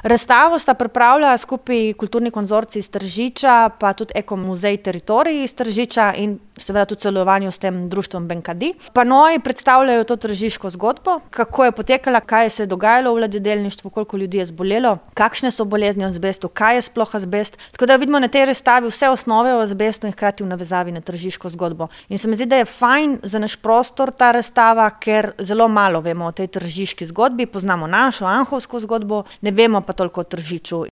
Razstavo sta pripravila skupaj Kulturni konzorcij iz Tržiča, pa tudi Eko-muzej Teritorij iz Tržiča in seveda tudi v sodelovanju s tem društvom Benkadi. Panoji predstavljajo to tržiško zgodbo, kako je potekala, kaj se je dogajalo v ladjedelništvu, koliko ljudi je zbolelo, kakšne so bolezni v azbestu, kaj je sploh azbest. Tako da vidimo na tej razstavi vse osnove o azbestu in hkrati v navezavi na tržiško zgodbo. In se mi zdi, da je fajn za naš prostor ta razstava, ker zelo malo vemo o tej tržiški zgodbi, poznamo našo, anhovsko zgodbo, ne vemo pa toliko o Tržiču.